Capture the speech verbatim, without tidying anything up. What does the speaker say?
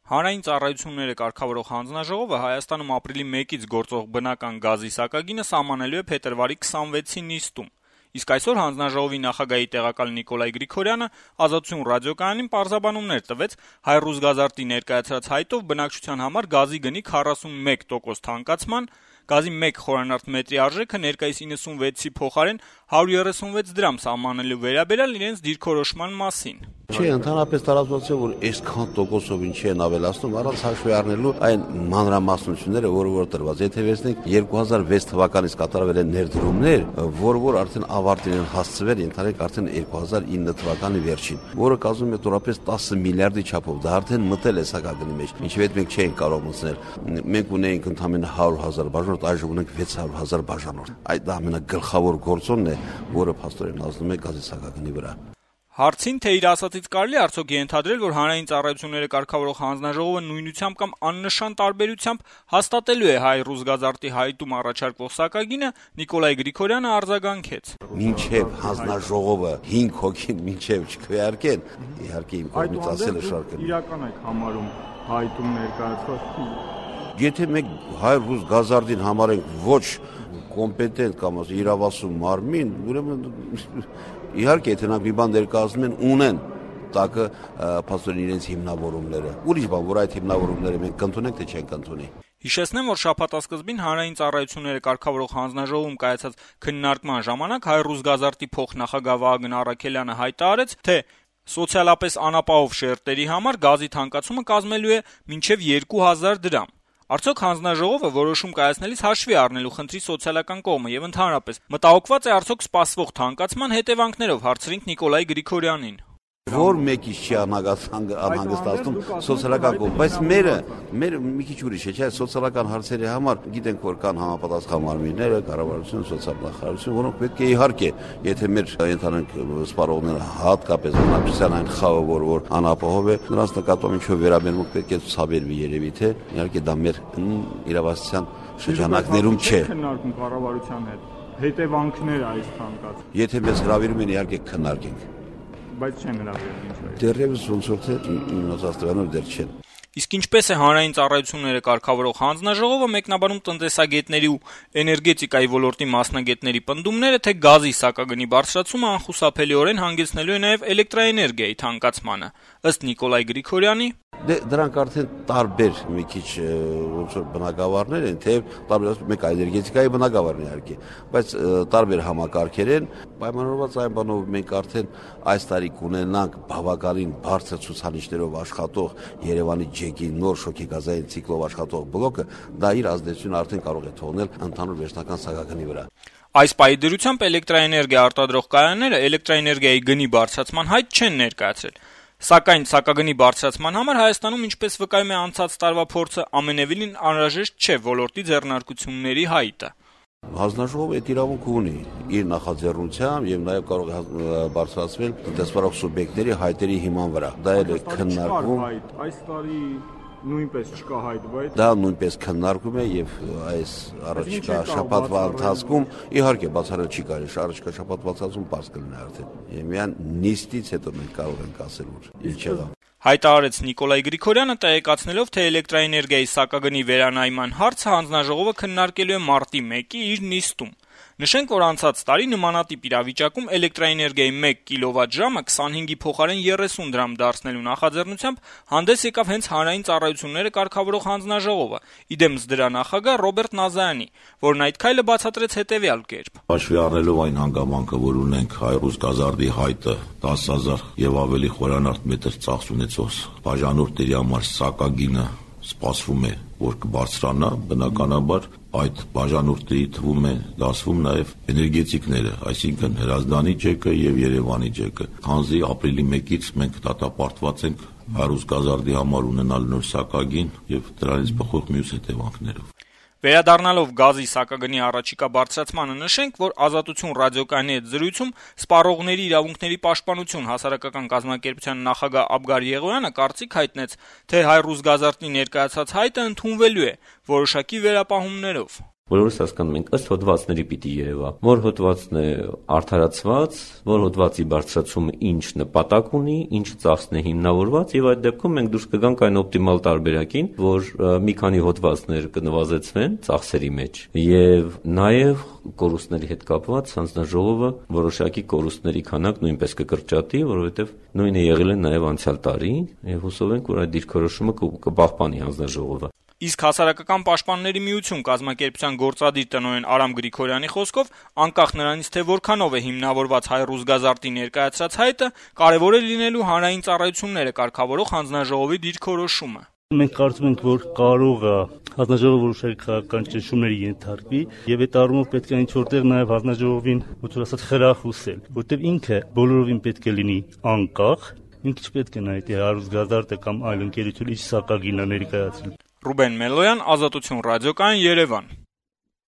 Հանրային ծառայությունները կարգավորող հանձնաժողովը Հայաստանում ապրիլի մեկից գործող բնական գազի սակագինը սահմանելու է փետրվարի քսանվեցի նիստում: Իսկ այսօր հանձնաժողովի նախագահի տեղակալ Նիկոլայ Գրիգորյանը «Ազատություն» ռադիոկայանին պարզաբանումներ տվեց «Հայ-Ռուսգազարդի» ներկայացրած հայտով բնակչության համար գազի գնի քառասունմեկ տոկոս թանկացման, գազի մեկ խորանարդ մետրի արժեքը ներկայիս իննսունվեցի փոխարեն հարյուր երեսունվեց դրամ սահմանելու վերաբերյալ իրենց դիրքորոշման մասին: Չէ, ընդհանրապես տարածված է, որ այսքան տոկոսով ինչի են ավելացնում, առանց հաշվի առնելու այն մանրամասնությունները, որը որ տրված։ Եթե վերցնենք երկու հազար վեց թվականից կատարվել են ներդրումներ, որը որ արդեն ավարտին են հասցվել, ընդհանրենք արդեն երկու հազար ինը թվականի վերջին, որը կազմում է տորապես տասը միլիարդի չափով, դա արդեն մտել է սակագնի մեջ, ինչև այդ մենք չէինք կարող մտցնել։ Մենք ունեինք ընդամենը հարյուր հազար բաժանորդ, այժմ ունենք վեց հարյուր հազար բաժանորդ։ Այդ ամենագլխավոր գործոնն է, որը փաստորեն ազդում է գազի սակագնի վրա։ Հարցին, թե իր ասածից կարելի է արդյոք ենթադրել, որ հանրային ծառայությունները կարգավորող հանձնաժողովը նույնությամբ կամ աննշան տարբերությամբ հաստատելու է Հայ-Ռուսգազարդի հայտում առաջարկվող սակագինը, Նիկոլայ Գրիգորյանը արձագանքեց. Մինչև հանձնաժողովը հինգ հոգին մինչև չքվեարկեն, իհարկե իմ կողմից ասելը շարքն է։ Իրական եք համարում հայտում ներկայացված։ Եթե մենք Հայ-Ռուսգազարդին համարենք ոչ կոմպետենտ կամ իրավասու մարմին, ուրեմն իհարկե եթե նրանք մի բան ներկայացնում են, ունեն տակը փաստորեն իրենց հիմնավորումները։ Ուրիշ բան, որ այդ հիմնավորումները մենք կընդունենք, թե չենք ընդունի։ Հիշեցնեմ, որ շաբաթասկզբին հանրային ծառայությունները կարգավորող հանձնաժողովում կայացած քննարկման ժամանակ Հայ-Ռուսգազարդի փոխնախագահ Վահագն Առաքելյանը հայտարարեց, թե սոցիալապես անապահով շերտերի համար գազի թանկացումը կազմելու է մինչև երկու հազար դրամ։ Արդյոք հանձնաժողովը որոշում կայացնելիս հաշվի է առնելու խնդրի սոցիալական կողմը եւ ընդհանրապես մտահոգված է արդյոք սպասվող թանկացման հետեւանքներով, հարցրինք Նիկոլայ Գրիգորյանին։ Որ մեկի չի անհանգստացնում սոցիալական կողմ, բայց մերը, մերը մի քիչ ուրիշ է, չէ՞, սոցիալական հարցերի համար գիտենք, որ կան համապատասխան մարմինները, կառավարություն, սոցիալ-նախարարություն, որոնք պետք է իհարկե, եթե մեր ընդհանրենք սպառողները հատկապես բնակչության այն խավը, որ որ անապահով է, նրանց նկատմամբ ինչ-որ վերաբերմունք պետք է ցուցաբերվի երևի թե, իհարկե դա մեր իրավասության շրջանակներում չէ։ Քննարկում կառավարության հետ հետևանքներ այս թանկացման։ Եթե մեզ հրավիրում են, իհարկե քննարկենք։ Բայց չեն հրավիրում ինչ-որ։ Դեռևս ոնց որ թե իմացածներով դեռ չեն։ Իսկ ինչպես է հանրային ծառայությունները կարգավորող հանձնաժողովը մեկնաբանում տնտեսագետների ու էներգետիկայի ոլորտի մասնագետների պնդումները, թե գազի սակագնի բարձրացումը անխուսափելիորեն հանգեցնելու է նաև էլեկտրաէներգիայի թանկացմանը։ Ըստ Նիկոլայ Գրիգորյանի, Դե դրանք արդեն տարբեր մի քիչ ոնց որ բնակավարներ են, թեև տարբեր մեկ էներգետիկայի բնակավարն է իհարկե, բայց տարբեր համակարգեր են, պայմանավորված այն բանով մենք արդեն այս տարի կունենանք բավականին բարձր ցուցանիշներով աշխատող Երևանի ջեկի նոր շոգեգազային ցիկլով աշխատող բլոկը, դա իր ազդեցությունը արդեն կարող է թողնել ընդհանուր վերջնական սակագնի վրա։ Այս պահի դրությամբ էլեկտրաէներգիա արտադրող կայանները էլեկտրաէներգիայի գնի բարձրացման հայտ չեն ներկայացրել։ Սակայն սակագնի բարձրացման համար Հայաստանում, ինչպես վկայում է անցած տարվա փորձը, ամենևին անհրաժեշտ չէ ոլորտի ձեռնարկությունների հայտը։ Հանձնաժողովը այդ իրավունքը ունի իր նախաձեռնությամբ եւ նաեւ կարող է բարձրացնել տնտեսվարող սուբյեկտների հայտերի հիման վրա։ Դա էլ է քննարկվում։ Այս տարի նույնպես չկա հայտ, բայց դա նույնպես քննարկում է եւ այս առաջիկա շաբաթվա ընթացքում իհարկե բացառել չի կարելի, առաջիկա շաբաթվա ընթացքում բաց կլինի արդեն։ Եվ միան նիստից հետո մենք կարող ենք ասել, որ ինչ եղավ։ Հայտարարեց Նիկոլայ Գրիգորյանը, տեղեկացնելով, թե էլեկտրաէներգիայի սակագնի վերանայման հարցը հանձնաժողովը քննարկելու է մարտի մեկի իր նիստում։ Նշենք, որ անցած տարի նմանատիպ իրավիճակում էլեկտրաէներգիայի մեկ կիլովատ-ժամը քսանհինգի փոխարեն երեսուն դրամ դարձնելու նախաձեռնությամբ հանդես եկավ հենց հանրային ծառայությունները կարգավորող հանձնաժողովը, իդեմս դրա նախագահ Ռոբերտ Նազարյանի, որն այդ քայլը բացատրեց հետևյալ կերպ. Հաշվի առնելով այն հանգամանքը, որ ունենք Հայ-Ռուսգազարդի հայտը տասը հազար եւ ավելի խորանարդ մետր ծախս ունեցող բաժանորդների համար սակագինը սպասվում է, որ կբարձրանա, բնականաբար այդ բաժանորդների թվում է դասվում նաև էներգետիկները, այսինքն Հրազդանի ջեկը եւ Երևանի ջեկը։ Քանզի ապրիլի մեկից մենք դատապարտված ենք Հայ-Ռուսգազարդի համար ունենալ նոր սակագին եւ դրանից բխող մյուս հետևանքներով։ Վերադառնալով գազի սակագնի առաջիկա բարձրացմանը նշենք, որ Ազատություն ռադիոկայանի հետ զրույցում սպառողների իրավունքների պաշտպանություն հասարակական կազմակերպության նախագահ Աբգար Եղոյանը կարծիք հայտնեց, թե Հայ-Ռուսգազարդի ներկայացած հայտը ընդունվելու է որոշակի վերապահումներով։ Բոլորս հասկանում ենք, ըստ հոդվածների պիտի երևա, որ հոդվածն է արդարացված, որ հոդվածի բարձրացումը ինչ նպատակ ունի, ինչ ծախսն է հիմնավորված, եւ այդ դեպքում մենք դուրս կգանք այն օպտիմալ տարբերակին, որ մի քանի հոդվածներ կնվազեցվեն ծախսերի մեջ, եւ նաեւ կորուստների հետ կապված հանձնաժողովը որոշակի կորուստների քանակ նույնպես կկրճատի, որովհետեւ նույնը եղել է նաեւ անցյալ տարի, եւ հուսով ենք, որ այդ դիրքորոշումը կպահպանի հանձնաժողովը։ Իսկ Հասարակական պաշտպանների միություն կազմակերպության գործադիր տնօրեն Արամ Գրիգորյանի խոսքով, անկախ նրանից, թե որքանով է հիմնավորված Հայ-ռուս գազարտի ներկայացրած հայտը, կարևոր է լինելու հանրային ծառայությունները կարգավորող հանձնաժողովի դիրքորոշումը։ Մենք կարծում ենք, որ կարող է հանձնաժողովը որոշակի քաղաքական ճնշումների ենթարկվի, եւ այդ առումով պետք է ինչ-որտեղ նաեւ հանձնաժողովին, ոնց որ ասած, խրախուսել, որտեղ ինքը բոլորովին պետք է լինի անկախ, ինքը չպետք է նայի թե Հայ-ռուս գազարտը կամ այլ ընկերություն ինչ սակագին է ներկայացրել։ Ռուբեն Մելոյան, Ազատություն ռադիոկայան, Երևան։